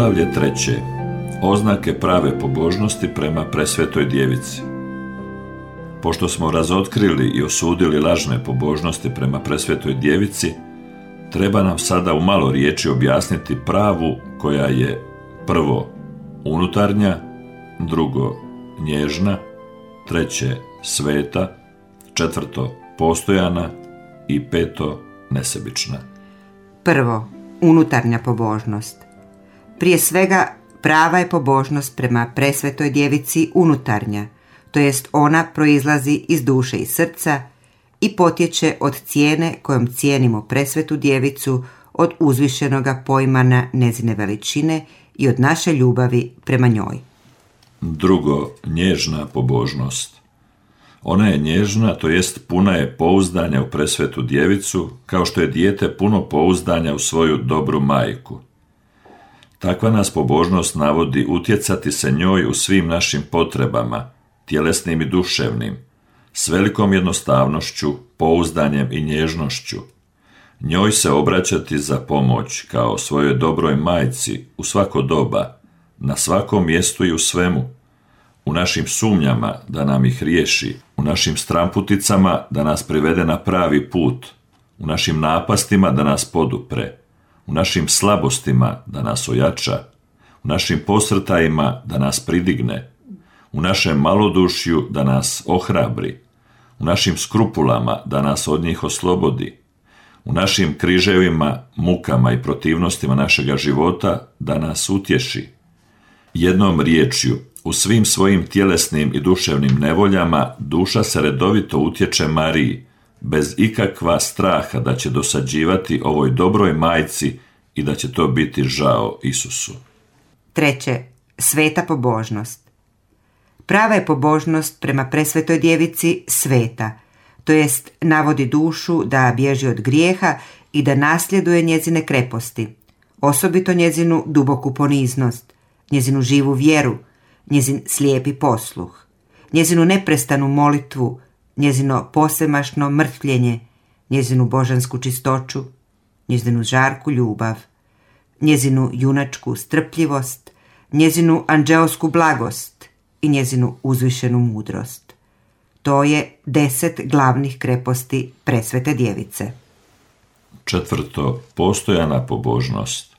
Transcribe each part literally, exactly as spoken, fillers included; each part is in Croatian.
Poglavlje treće. Oznake prave pobožnosti prema presvetoj djevici. Pošto smo razotkrili i osudili lažne pobožnosti prema presvetoj djevici, treba nam sada u malo riječi objasniti pravu koja je prvo unutarnja, drugo nježna, treće sveta, četvrto postojana i peto nesebična. Prvo, unutarnja pobožnost. Prije svega, prava je pobožnost prema presvetoj djevici unutarnja, to jest ona proizlazi iz duše i srca i potječe od cijene kojom cijenimo presvetu djevicu, od uzvišenoga pojmana njezine veličine i od naše ljubavi prema njoj. Drugo, nježna pobožnost. Ona je nježna, to jest puna je pouzdanja u presvetu djevicu, kao što je dijete puno pouzdanja u svoju dobru majku. Takva nas pobožnost navodi utjecati se njoj u svim našim potrebama, tjelesnim i duševnim, s velikom jednostavnošću, pouzdanjem i nježnošću. Njoj se obraćati za pomoć kao svojoj dobroj majci u svako doba, na svakom mjestu i u svemu, u našim sumnjama da nam ih riješi, u našim stramputicama da nas privede na pravi put, u našim napastima da nas podupre, u našim slabostima da nas ojača, u našim posrtajima da nas pridigne, u našem malodušju da nas ohrabri, u našim skrupulama da nas od njih oslobodi, u našim križevima, mukama i protivnostima našega života da nas utješi. Jednom riječju, u svim svojim tjelesnim i duševnim nevoljama duša se redovito utječe Mariji, bez ikakva straha da će dosađivati ovoj dobroj majci i da će to biti žao Isusu. Treće, sveta pobožnost. Prava je pobožnost prema presvetoj djevici sveta, to jest navodi dušu da bježi od grijeha i da nasljeduje njezine kreposti, osobito njezinu duboku poniznost, njezinu živu vjeru, njezin slijepi posluh, njezinu neprestanu molitvu, njezino posvemašno mrtvljenje, njezinu božansku čistoću, njezinu žarku ljubav, njezinu junačku strpljivost, njezinu anđeosku blagost i njezinu uzvišenu mudrost. To je deset glavnih kreposti presvete djevice. Četvrto, postojana pobožnost.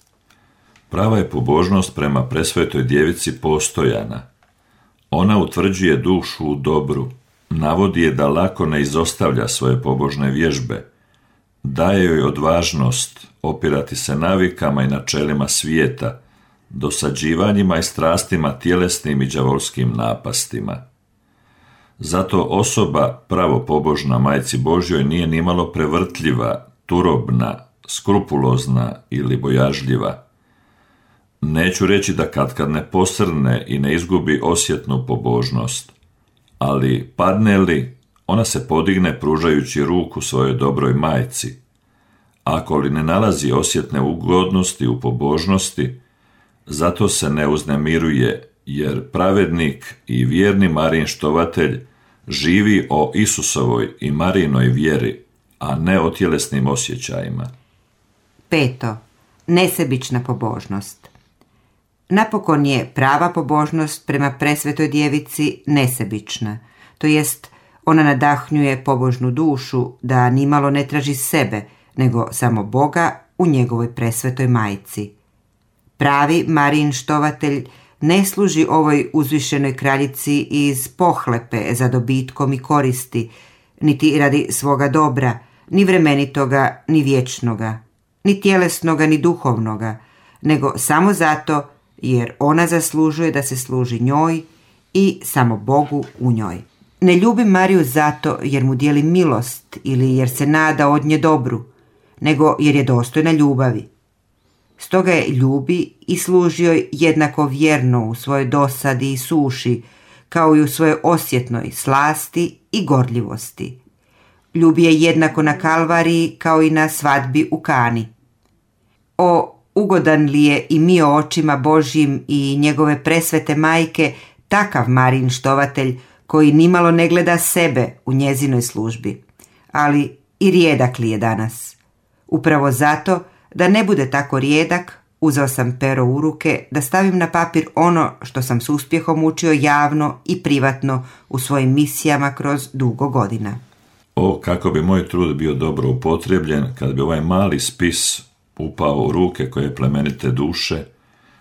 Prava je pobožnost prema presvetoj djevici postojana. Ona utvrđuje dušu u dobru, navodi je da lako ne izostavlja svoje pobožne vježbe, daje joj odvažnost opirati se navikama i načelima svijeta, dosađivanjima i strastima tjelesnim i đavolskim napastima. Zato osoba pravo pobožna majci Božjoj nije nimalo prevrtljiva, turobna, skrupulozna ili bojažljiva. Neću reći da katkad ne posrne i ne izgubi osjetnu pobožnost, ali padne li, ona se podigne pružajući ruku svojoj dobroj majci. Ako li ne nalazi osjetne ugodnosti u pobožnosti, zato se ne uznemiruje, jer pravednik i vjerni Marijin štovatelj živi o Isusovoj i Marijinoj vjeri, a ne o tjelesnim osjećajima. Peto, nesebična pobožnost. Napokon je prava pobožnost prema presvetoj djevici nesebična, to jest ona nadahnjuje pobožnu dušu da nimalo ne traži sebe, nego samo Boga u njegovoj presvetoj majci. Pravi Marijin štovatelj ne služi ovoj uzvišenoj kraljici iz pohlepe za dobitkom i koristi, niti radi svoga dobra, ni vremenitoga, ni vječnoga, ni tjelesnoga, ni duhovnoga, nego samo zato jer ona zaslužuje da se služi njoj i samo Bogu u njoj. Ne ljubi Mariju zato jer mu dijeli milost ili jer se nada od nje dobru, nego jer je dostojna ljubavi. Stoga je ljubi i služi joj jednako vjerno u svojoj dosadi i suši, kao i u svojoj osjetnoj slasti i gorljivosti. Ljubi je jednako na Kalvariji kao i na svadbi u Kani. O, ugodan li je i mio očima Božjim i njegove presvete majke takav Marijin štovatelj koji nimalo ne gleda sebe u njezinoj službi, ali i rijedak li je danas. Upravo zato, da ne bude tako rijedak, Uzeo sam pero u ruke da stavim na papir ono što sam s uspjehom učio javno i privatno u svojim misijama kroz dugo godina. O, kako bi moj trud bio dobro upotrebljen kad bi ovaj mali spis upao u ruke koje plemenite duše,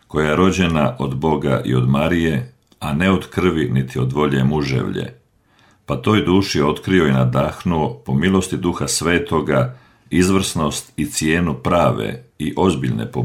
koja je rođena od Boga i od Marije, a ne od krvi niti od volje muževlje, pa toj duši otkrio i nadahnuo po milosti Duha Svetoga izvrsnost i cijenu prave i ozbiljne pobožnosti